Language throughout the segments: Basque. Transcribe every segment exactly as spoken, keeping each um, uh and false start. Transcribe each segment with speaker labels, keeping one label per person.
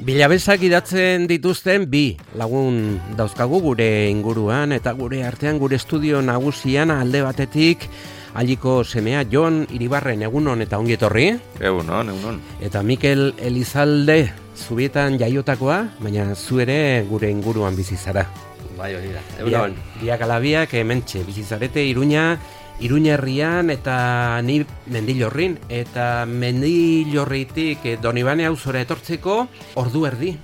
Speaker 1: Bilabezak idatzen dituzten bi lagun dauzkagu gure inguruan eta gure artean gure estudio nagusian alde batetik Aliko semea Jon Iribarren egunon eta ongi etorri.
Speaker 2: Egunon, egunon.
Speaker 1: Eta Mikel Elizalde Zubietan jaiotakoa, baina zu ere gure inguruan bizi zara.
Speaker 3: Bai, hori da. Egunon.
Speaker 1: Biak alabiak hementxe bizi zarete Iruña, Iruña herrian eta ni Mendillorrin eta Mendillorritik Donibane auzora etortzeko ordu erdi.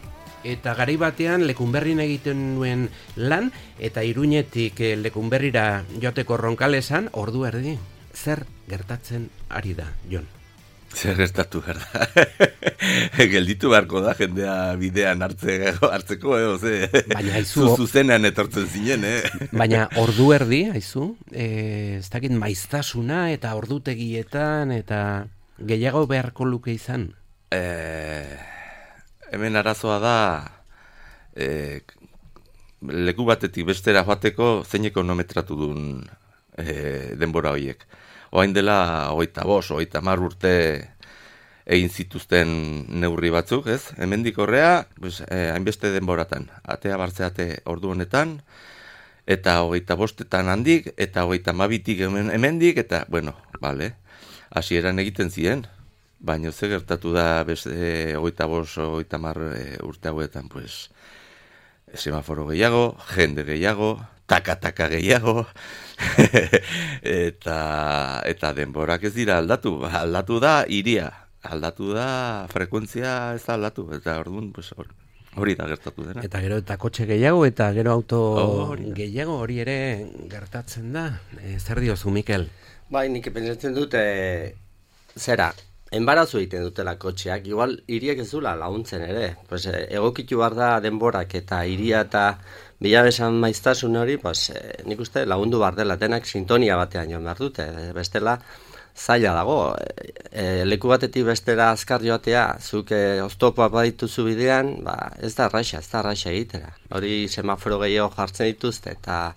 Speaker 1: Eta garai batean Lekunberrin egiten nuen lan eta Iruñetik Lekunberrira joateko Ronkalesan ordu erdi. Zer gertatzen ari da, Jon?
Speaker 2: Zer gertatu gerda. Gelditu beharko da jendea bidean hartze, hartzeko, edo, ze.
Speaker 1: Baina haizu.
Speaker 2: Zuzenean etortzen zinen, eh?
Speaker 1: Baina ordu erdi, haizu, e, ez dakit maiztasuna eta ordutegietan eta gehiago beharko luke izan.
Speaker 2: Eh, hemen arazoa da eh, leku batetik bestera joateko zein ekonometratu duen eh, denbora horiek. Oain dela hogeita bost, hogeita hamar urte egin zituzten neurri batzuk, ez? Hemendik horrea, pues, eh, hainbeste denboratan, atea bartzeate ordu honetan, eta hogeita bostetan handik, eta hogeita hamabitik hemendik, eta, bueno, bale, hasieran egiten ziren, baina ze gertatu da beste hogeita bost, hogeita hamar urte hauetan, pues, semaforo gehiago, jende gehiago, taka-taka gehiago, eta, eta denborak ez dira aldatu. Aldatu da iria, aldatu da frekuentzia ez da aldatu, eta orduan pues, hori da gertatu dena.
Speaker 1: Eta gero eta kotxe gehiago, eta gero auto
Speaker 2: oh,
Speaker 1: gehiago hori ere gertatzen da. E, zer diozu, Mikel?
Speaker 3: Bai, nik pentsatzen dute, zera, enbarazu egiten dutela kotxeak, igual hiriek ez dula laguntzen ere. Pues, egokitu behar da denborak eta hiria eta bilabesan maiztasun hori, pues, eh, nik uste lagundu behar dela, denak sintonia batean joan behar dute. Bestela zaila dago, e, leku batetik bestera azkar joatea, zuk e, oztopoa badituzu bidean, ba, ez da arraixa, ez da arraixa egitera. Hori semaforo gehiago jartzen dituzte, eta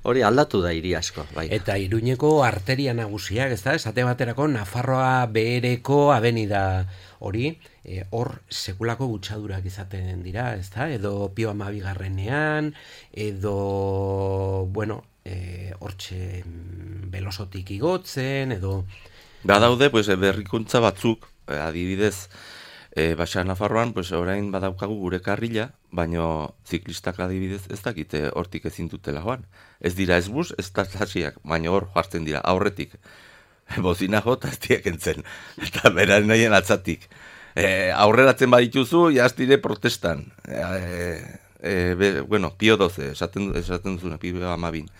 Speaker 3: hori aldatu da hiri asko. Bai.
Speaker 1: Eta Iruñeko arteria nagusiak, ez da? Esate baterako Nafarroa behereko abenida hori, e, hor sekulako gutxadurak izaten dira, ez da? Edo Pio Hamabigarrenean, edo, bueno, e, hortxe belosotik igotzen, edo...
Speaker 2: Badaude, pues, berrikuntza batzuk, adibidez, e, Baxa Nafarroan, pues, orain badaukagu gure karrila, baino ziklistak adibidez ez dakite hortik ezin dutela joan. Ez dira ez bus, ez taxiak, baino hor jartzen dira, aurretik. Bozina jota ez diak entzen, eta beraren nahien atzatik. E, aurreratzen badituzu, jaztire protestan. E, e, be, bueno, Pio doze, esaten, esaten duzuna, Pio amabin.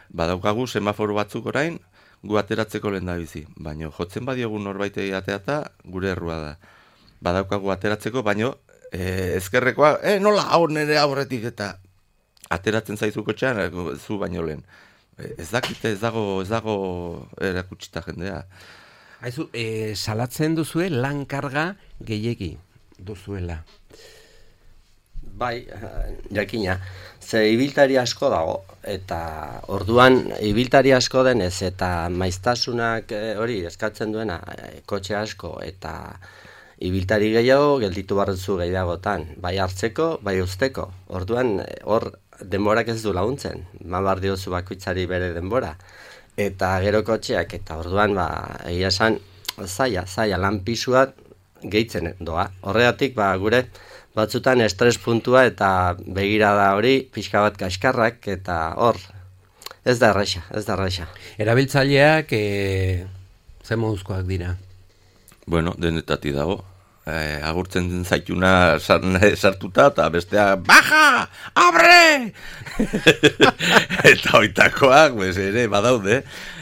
Speaker 2: Badaukagu semaforo batzuk orain, gu ateratzeko lehen da bizi. Baina jotzen badiogun norbaitei ateata, gure errua da. Badaukagu ateratzeko, baino e, ezkerrekoa, e, nola hau nire aurretik eta ateratzen zaizu kotxean, zu baino lehen. E, ez dakite, ez dago, ez dago erakutsita jendea.
Speaker 1: Haizu, e, salatzen duzue lan karga gehiegi duzuela.
Speaker 3: Bai, jakina, ze ibiltari asko dago, eta orduan ibiltari asko denez, eta maiztasunak hori eskatzen duena kotxe asko, eta ibiltari gehiago gelditu barrezu gehiagotan, bai hartzeko, bai usteko. Orduan, hor denborak ez du laguntzen, mabar diozu bakoitzari bere denbora. Eta gero kotxeak, eta orduan, ba, egia esan, zaila, zaila, lan pisua gehitzen doa. Horregatik, ba, gure batzutan estres puntua eta begirada hori, pixka bat kaskarrak, eta hor, ez da erraixa, ez da erraixa.
Speaker 1: Erabiltzaileak, e, ze moduzkoak dira?
Speaker 2: Bueno, denetati dago. Eh, agurtzen zaituna sartuta eta bestea baja, abre! Eta oitakoak, pues, ere badaude.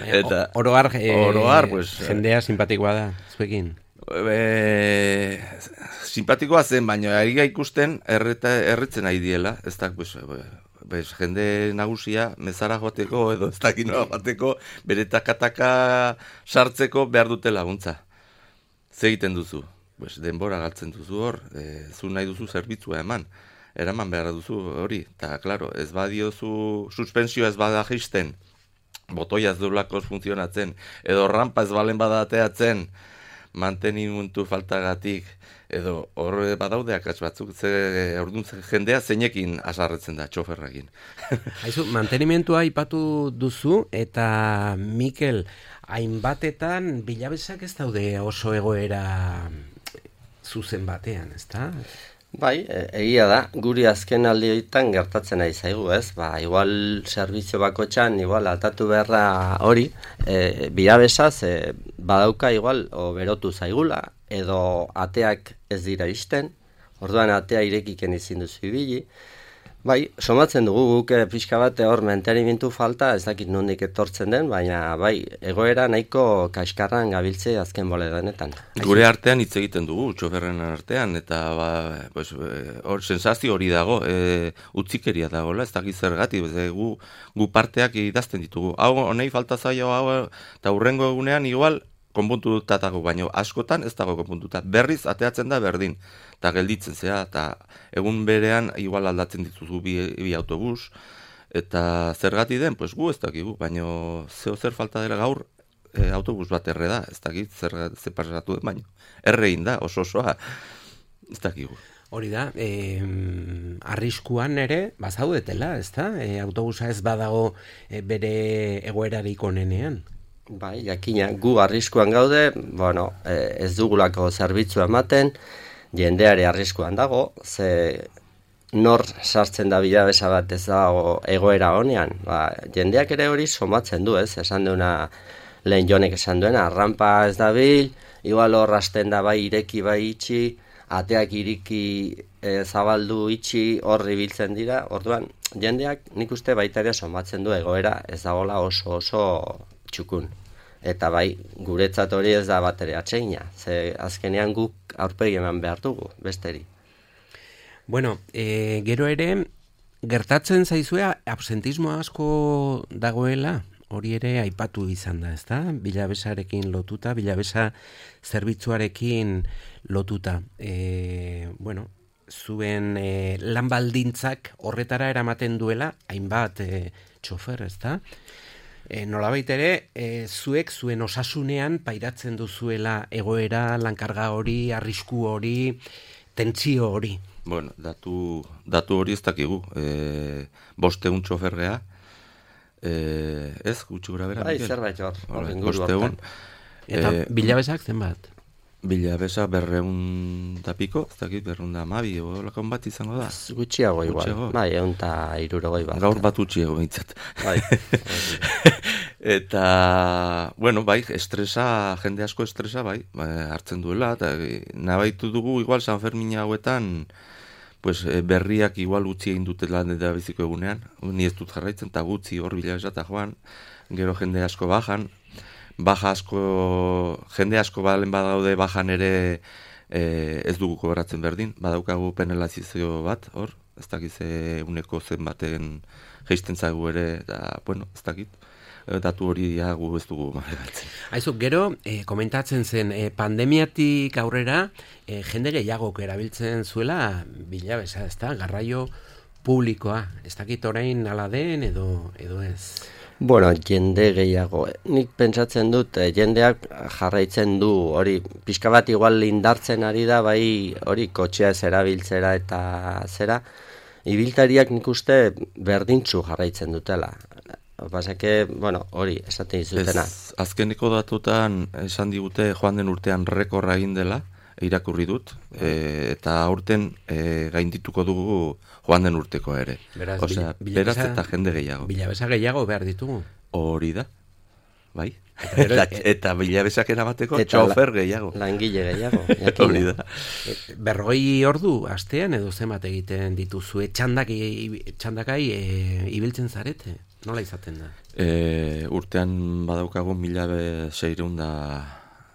Speaker 2: Eta,
Speaker 1: oroar, e,
Speaker 2: oroar pues,
Speaker 1: jendea simpatikoa da, zuekin?
Speaker 2: E, simpatikoa zen, baina ari ikusten erreta, erretzen nahi diela. Ez da, pues, pues, jende nagusia mezara joateko edo ez dakinoa joateko bere takataka sartzeko behar dute laguntza. Ze egiten duzu? Pues, denbora galtzen duzu hor, e, zu nahi duzu zerbitzua eman, eraman behar duzu hori, eta, klaro, ez badiozu suspensioa ez bada jisten, botoia ez duelako funtzionatzen, edo rampa ez balen bada ateatzen, mantenimentu faltagatik, edo horre badaude akats batzuk, ze orduan jendea zeinekin asarretzen da, txoferrekin.
Speaker 1: Haizu, mantenimentua aipatu duzu, eta Mikel, hainbatetan bilabesak ez daude oso egoera zuzen batean, ezta?
Speaker 3: Bai, e- egia da, guri azken aldietan gertatzen ari zaigu, ez? Ba, igual servizio bakotxan, igual atatu beharra hori, e, bilabesaz, e, badauka igual, o berotu zaigula, edo ateak ez dira isten, orduan atea irekiken izin duzu ibili. Bai, somatzen dugu guk e, pixka bat hor mantenimentu falta, ez dakit nondik etortzen den, baina bai, egoera nahiko kaskarran gabiltze azken bole denetan.
Speaker 2: Gure artean hitz egiten dugu, txoferren artean, eta ba, pues, hor sensazio hori dago, e, utzikeria dagoela, ez dakit zergatik, e, gu, gu parteak idazten ditugu. Hau, honei falta zaio, hau, eta hurrengo egunean igual, konpuntuta dago, baino askotan ez dago konpuntuta. Berriz ateatzen da berdin, eta gelditzen zea, eta egun berean igual aldatzen dituzu bi, bi autobus, eta zergati den, pues gu ez dakigu, baino zeo zer falta dela gaur, e, autobus bat erre da, ez dakit zer, zer pasatu den, baino errein da, oso osoa, ez dakigu.
Speaker 1: Hori da, e, arriskuan ere, bazaudetela, ez da? E, autobusa ez badago e, bere egoerarik onenean.
Speaker 3: Bai, jakina, gu arriskuan gaude, bueno, eh, ez dugulako zerbitzua ematen, jendeare arriskuan dago, ze nor sartzen da bilabesa bat ez dago egoera honean, ba, jendeak ere hori somatzen du, ez, esan duena lehen jonek esan duena, rampa ez dabil, igual hor hasten da bai ireki bai itxi, ateak iriki e, zabaldu itxi horri biltzen dira, orduan jendeak nik uste baita ere somatzen du egoera ez dagoela oso oso txukun. Eta bai, guretzat hori ez da bat ere atseina, ze azkenean guk aurpegi eman behar dugu, besteri.
Speaker 1: Bueno, e, gero ere, gertatzen zaizue absentismo asko dagoela, hori ere aipatu izan da, ezta? Bilabesarekin lotuta, bilabesa zerbitzuarekin lotuta. E, bueno, zuen e, lan baldintzak horretara eramaten duela, hainbat e, txofer, ezta? E, nolabait ere, e, zuek zuen osasunean pairatzen duzuela egoera, lankarga hori, arrisku hori, tentsio hori.
Speaker 2: Bueno, datu, datu hori ez dakigu. E, bosteun txofergea, e, ez, gutxi gura bera?
Speaker 3: Bai, zerbait hor, hor inguru
Speaker 2: bosteun.
Speaker 1: Eta
Speaker 2: E,
Speaker 1: bilabesak zenbat?
Speaker 2: Bilabesa berreun da piko, ez dakit, berreun da amabi, olakon bat izango da.
Speaker 3: Gutxiago igual,
Speaker 2: Gutxiago.
Speaker 3: bai, egun eta irurogoi bat.
Speaker 2: Gaur bat utxiego bintzat.
Speaker 3: Bai.
Speaker 2: Eta, bueno, bai, estresa, jende asko estresa, bai, bai hartzen duela, eta nabaitu dugu, igual, San Fermin hauetan, pues, berriak igual utzi egin dutela da biziko egunean, ni ez dut jarraitzen, eta gutzi hor bilabesa eta joan, gero jende asko bajan, baja asko, jende asko balen badaude bajan ere e, ez dugu kobratzen berdin, badaukagu penalizazio bat, hor, ez dakiz uneko zen baten geisten zaigu ere, eta, bueno, ez dakit, datu hori gu ez dugu maregatzen.
Speaker 1: Aizu, gero, e, komentatzen zen, e, pandemiatik aurrera, e, jende gehiagok erabiltzen zuela bilabesa, ez da, garraio publikoa, ez dakit orain ala den edo, edo ez.
Speaker 3: Bueno, jende gehiago. Nik pentsatzen dut, eh, jendeak jarraitzen du hori, pixka bat igual indartzen ari da, bai hori kotxea ez erabiltzera eta zera, ibiltariak nik uste berdintzu jarraitzen dutela. Pasake, bueno, hori, esaten izutena.
Speaker 2: Ez, azkeneko datutan esan digute joan den urtean rekorra egin dela, irakurri dut, e, eta aurten e, gaindituko dugu joan den urteko ere.
Speaker 1: Beraz,
Speaker 2: Osea,
Speaker 1: bila,
Speaker 2: beraz eta jende gehiago.
Speaker 1: Bilabesa gehiago behar ditugu.
Speaker 2: Hori da, bai.
Speaker 1: Eta,
Speaker 2: eta, eta bilabesak eramateko
Speaker 3: eta
Speaker 2: txofer
Speaker 3: la,
Speaker 2: gehiago.
Speaker 3: Langile gehiago.
Speaker 2: Hori da.
Speaker 1: Berrogei ordu astean edo zenbat egiten dituzue, txandak, txandakai e, ibiltzen zarete? Nola izaten da?
Speaker 2: E, urtean badaukagu mila seireun da...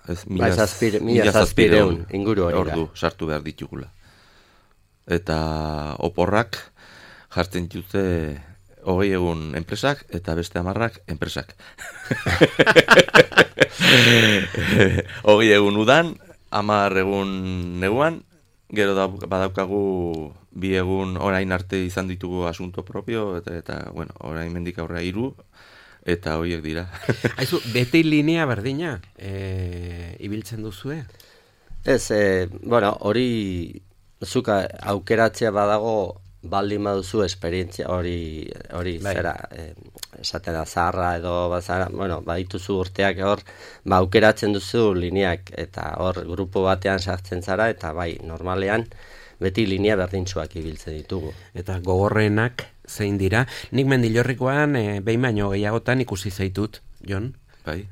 Speaker 2: Ez,
Speaker 3: mila zazpireun inguru hori da.
Speaker 2: Ordu sartu behar ditugula. Eta oporrak jartzen dute hogei egun enpresak eta beste hamarrak enpresak. Hogei egun udan, hamar egun neguan, gero da, badaukagu bi egun orain arte izan ditugu asunto propio, eta, eta bueno, orain mendik aurrea hiru, Eta horiek dira.
Speaker 1: Aizu, beti linea berdina e, ibiltzen duzue?
Speaker 3: Ez, e, bueno, hori zuka aukeratzea badago baldin baduzu esperientzia hori hori
Speaker 1: bai.
Speaker 3: zera eh, esaten da zaharra edo bazara, bueno, badituzu urteak hor, ba aukeratzen duzu lineak eta hor grupo batean sartzen zara eta bai, normalean beti linea berdintsuak ibiltzen ditugu.
Speaker 1: Eta gogorrenak zein dira. Nik Mendillorrikoan e, behin baino gehiagotan ikusi zaitut, Jon.
Speaker 2: Bai.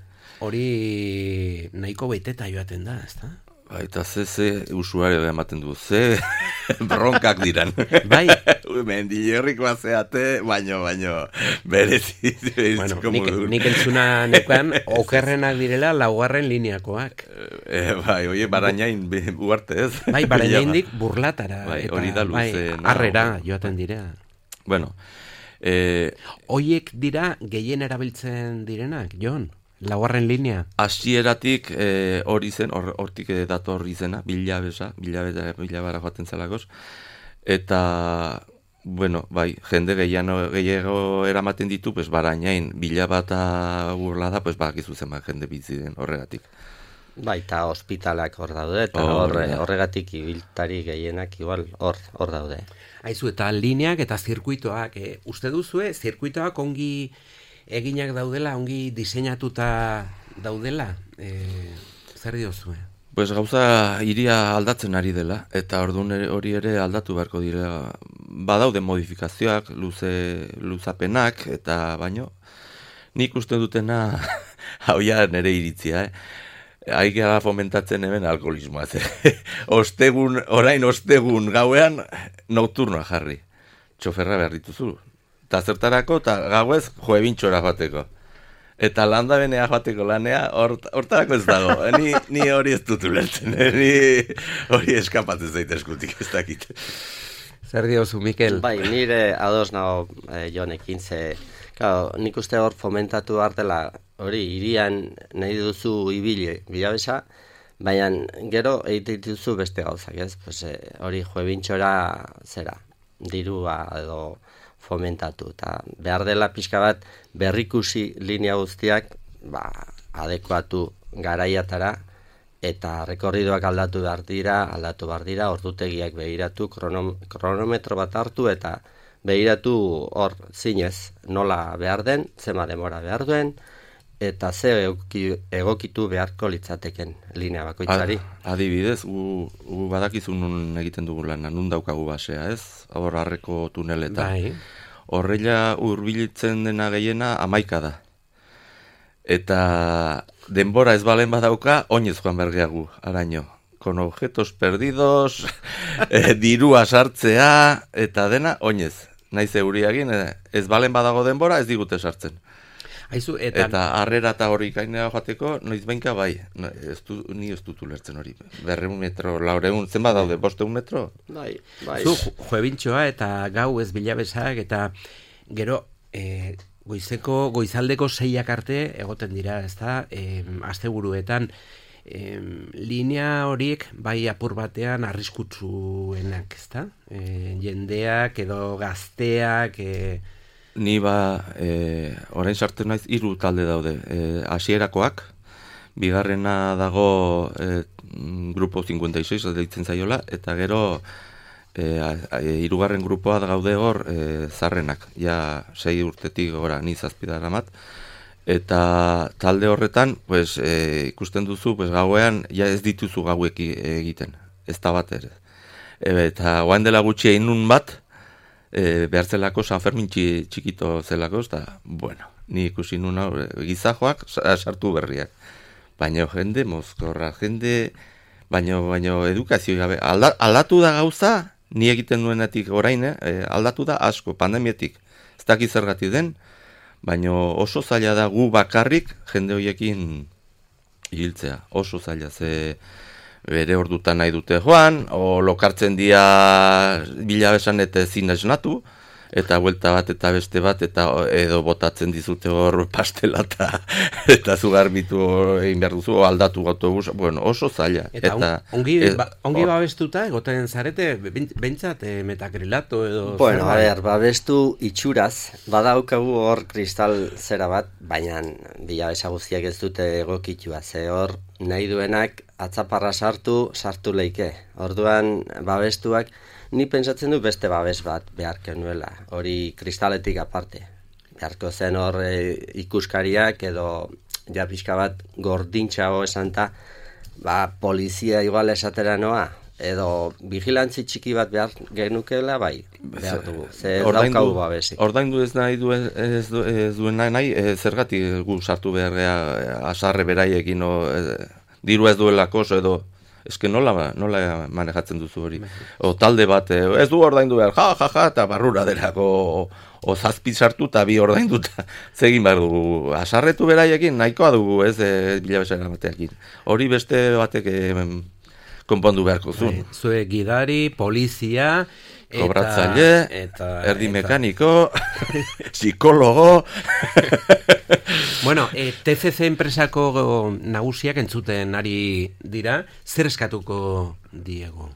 Speaker 1: Hori nahiko beteta joaten da, ezta?
Speaker 2: Bai, eta ze, ze usuario ematen du, ze bronkak diran.
Speaker 1: Bai.
Speaker 2: Mendillorrikoa zeate, baino, baino, berezi.
Speaker 1: Bueno, nik, nik entzuna neukan, okerrenak direla laugarren lineakoak.
Speaker 2: E, bai, oie, barainain uarte ez.
Speaker 1: Bai, barainaindik burlatara.
Speaker 2: Bai,
Speaker 1: eta,
Speaker 2: hori da luze.
Speaker 1: Bai, harrera joaten dira.
Speaker 2: Bueno. E,
Speaker 1: Oiek dira gehien erabiltzen direnak, Jon? Laugarren linea?
Speaker 2: Hasieratik e, hori zen, hortik or, dator izena, bilabesa, bilabera, bilabara joaten zelakoz. Eta, bueno, bai, jende gehiago, gehiago eramaten ditu, pues, barainain, bilabata burlada, pues, bakizu zenbat jende bizi den horregatik.
Speaker 3: Bai, eta ospitalak hor daude, eta
Speaker 2: Oh,
Speaker 3: hor,
Speaker 2: ja.
Speaker 3: horregatik ibiltari gehienak igual hor hor daude.
Speaker 1: Aizu, eta lineak eta zirkuitoak, e, uste duzue, zirkuitoak ongi eginak daudela, ongi diseinatuta daudela, e, zer diozue?
Speaker 2: Pues gauza iria aldatzen ari dela, eta orduan ere- hori ere aldatu beharko dira. Badaude modifikazioak, luze, luzapenak, eta baino, nik uste dutena, hau ja nere iritzia, eh? Haikera fomentatzen hemen alkoholismoa. Ostegun, orain ostegun gauean, nokturnoa jarri. Txoferra behar dituzu. Eta zertarako, eta gauez, joebintxora joateko. Eta landa benea joateko lanea, hort, hortarako ez dago. Ni, ni hori ez dut ulertzen. Ni hori eskapatzen zaite eskutik ez dakit.
Speaker 1: Zer diozu, Mikel?
Speaker 3: Bai, nire ados nago eh, Jonekin, ze, claro, nik uste hor fomentatu behar dela, hori, irian nahi duzu ibili bilabesa, baina gero egiten dituzu beste gauzak, ez? Pues, eh, hori joebintxora zera, dirua edo fomentatu, eta behar dela pixka bat berrikusi linea guztiak, ba, adekuatu garaiatara, eta rekorridoak aldatu behar dira, aldatu behar dira, ordutegiak begiratu, kronom, kronometro bat hartu, eta begiratu hor zinez nola behar den, zema demora behar duen, eta ze egoki, egokitu beharko litzateken linea bakoitzari.
Speaker 2: Ad- Adibidez, gu, gu badakizu nun egiten dugu lana, nun daukagu basea, ez? Hor harreko tuneletan.
Speaker 1: Bai.
Speaker 2: Horrela hurbilitzen dena gehiena hamaika da. Eta denbora ez balen badauka, oinez joan bergeagu, araño. Con objetos perdidos, eh, dirua sartzea, eta dena oinez. Naiz euriagin, eh, ez balen badago denbora, ez digute sartzen.
Speaker 1: Aizu, eta,
Speaker 2: Eta harrera eta hori gainera joateko, noiz bainka bai. No, ez du, ni ez dut ulertzen hori. Berreun metro, laureun, zenbat daude, bosteun metro?
Speaker 3: Bai, bai.
Speaker 1: zu joebintxoa eta gau ez bilabesak, eta gero e, goizeko, goizaldeko seiak arte egoten dira, ezta, e, asteburuetan, e, linea horiek bai apur batean arriskutsuenak, ezta? E, jendeak edo gazteak, e,
Speaker 2: Ni ba, e, orain sartzen naiz hiru talde daude. E, hasierakoak, bigarrena dago e, grupo cincuenta y seis deitzen zaiola, eta gero e, a, a, hirugarren grupoa gaude hor e, zarrenak. Ja sei urtetik gora ni zazpi daramat. Eta talde horretan, pues, e, ikusten duzu, pues, gauean ja ez dituzu gauek egiten. Ez da bat ere. E, eta oain dela gutxi egin nun bat, E, behar zelako San Fermin txi, txikito zelako, eta, bueno, ni ikusi nuna gizajoak sartu berriak. Baina jende mozkorra, jende, baina, baina edukazio gabe. Alda, aldatu da gauza, ni egiten duenetik orain, eh, aldatu da asko, pandemietik. Ez dakit zergatik den, baina oso zaila da gu bakarrik jende horiekin hiltzea. Oso zaila, ze bere ordutan nahi dute joan, o lokartzen dia bilabesan eta ezin esnatu, eta buelta bat eta beste bat, eta edo botatzen dizute hor pastela eta, eta zu garbitu egin behar duzu, aldatu autobus, bueno, oso zaila.
Speaker 1: Eta, eta ongi, e, ba, ongi or, babestuta, egoten zarete, behintzat, e, metakrilato edo...
Speaker 3: Bueno, a ber, babestu itxuraz, badaukagu hor kristal zera bat, baina bila esaguziak ez dute egokitua, ze hor nahi duenak atzaparra sartu, sartu leike. Orduan, babestuak, ni pentsatzen du beste babes bat beharko nuela, hori kristaletik aparte. Beharko zen hor e, ikuskariak edo ja pixka bat gordintxago esan ta, ba, polizia igual esatera noa, edo vigilantzi txiki bat behar genukela, bai, behar dugu, ze ez daukagu babesik.
Speaker 2: Ordaindu ez nahi duen, ez, du, ez duen nahi, nahi e, zergatik gu sartu behar gea, asarre beraiekin, o, e, diru ez duelako, edo... Eske nola, nola manejatzen duzu hori. O talde bat, ez du ordaindu behar, ja, ja, ja, eta barrura derako, o, o zazpi sartu eta bi ordainduta. Zegin behar dugu, asarretu beraiekin, nahikoa dugu, ez, e, bilabesera bateakin. Hori beste batek e, konpondu beharko zuen.
Speaker 1: Zue gidari, polizia... Eta,
Speaker 2: kobratzaile,
Speaker 1: eta,
Speaker 2: erdi
Speaker 1: eta.
Speaker 2: mekaniko, psikologo...
Speaker 1: Bueno, e, T C C enpresako nagusiak entzuten ari dira, zer eskatuko diego?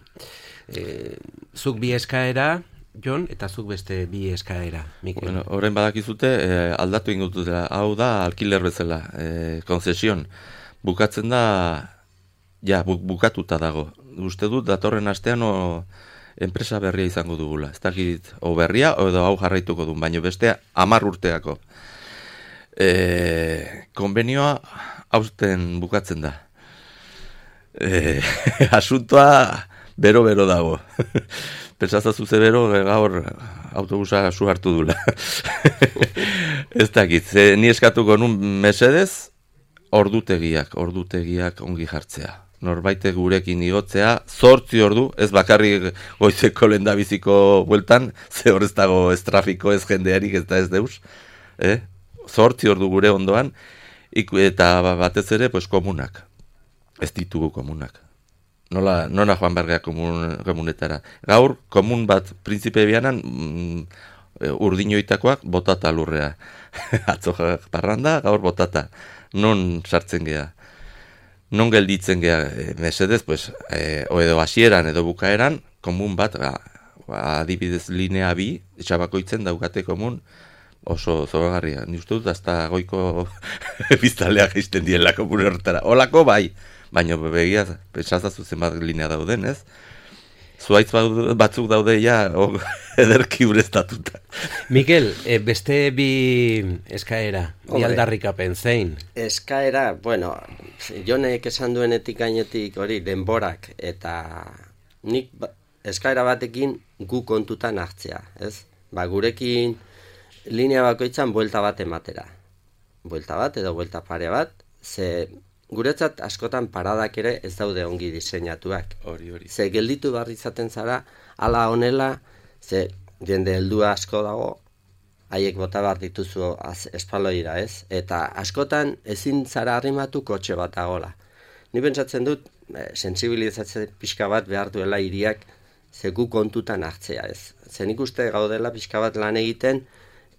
Speaker 1: E, zuk bi eskaera, Jon, eta zuk beste bi eskaera, Mikel.
Speaker 2: Bueno, orain badakizute, e, aldatu ingututela, hau da alkiler bezala, e, konzesion. Bukatzen da, ja, bu, bukatuta dago. Uste dut, datorren astean, o, enpresa berria izango dugula. Ez dakit, o berria, o edo hau jarraituko duen, baina bestea hamar urteako. E, konbenioa hausten bukatzen da. E, asuntoa bero-bero dago. Pentsazazu ze bero, gaur autobusa su hartu dula. Ez dakit, ze, ni eskatuko nun mesedez, ordutegiak, ordutegiak ongi jartzea. Norbaite gurekin igotzea, zortzi ordu, ez bakarrik goizeko lehendabiziko bueltan, ze hor ez dago ez trafiko, ez jendearik, ez da ez deus, eh? Zortzi ordu gure ondoan, iku, eta batez ere, pues, komunak, ez ditugu komunak. Nola, nola joan bergea komun, komunetara. Gaur, komun bat, prinzipe bianan, mm, urdinoitakoak botata lurrea. Atzo parranda, gaur botata. Non sartzen gea. Non gelditzen gea, e, mesedez, pues, e, o edo hasieran edo bukaeran, komun bat, ba, adibidez linea bi, etxabakoitzen daukate komun, oso zoragarria. Ni uste dut, hasta goiko biztaleak izten diela komun horretara. Olako bai, baina begia, pentsazazu zenbat linea dauden, ez? Zuaitz batzuk daude ja, o, ederki ureztatuta.
Speaker 1: Mikel, e, beste bi eskaera, bi aldarrikapen zein?
Speaker 3: Eskaera, bueno, Jonek esan duenetik gainetik hori denborak, eta nik ba, eskaera batekin gu kontutan hartzea, ez? Ba, gurekin linea bakoitzan buelta bat ematera. Buelta bat edo buelta pare bat, ze guretzat askotan paradak ere ez daude ongi diseinatuak.
Speaker 2: Hori, hori.
Speaker 3: Ze gelditu behar izaten zara, ala honela, ze jende heldua asko dago, haiek bota behar dituzu espaloira, ez? Eta askotan ezin zara arrimatu kotxe bat dagola. Ni pentsatzen dut, e, sensibilizatze pixka bat behar duela hiriak ze gu kontutan hartzea, ez? Ze nik uste gaudela pixka bat lan egiten,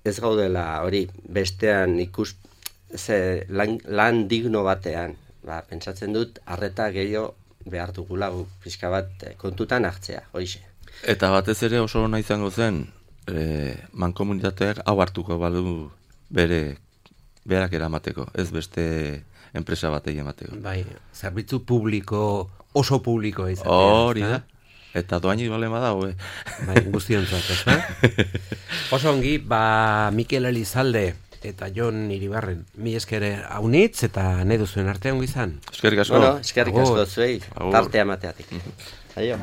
Speaker 3: ez gaudela hori bestean ikus, ze lan, lan digno batean. Ba, pentsatzen dut, arreta gehiago behar dugula pixka bat kontutan hartzea, hoize.
Speaker 2: Eta batez ere oso ona izango zen, e, mankomunitateak hau hartuko balu bere berak eramateko, ez beste enpresa batei emateko.
Speaker 1: Bai, zerbitzu publiko, oso publiko izatea.
Speaker 2: Hori da. Eta doaini balema da, hoe.
Speaker 1: Bai, guztiontzat, ez da? Oso ongi, ba, Mikel Elizalde eta Jon Iribarren, mi eskere haunitz eta nahi duzuen artean ongi izan.
Speaker 2: Eskerrik asko.
Speaker 3: Bueno, eskerrik asko zuei, tartea mateatik. Aio.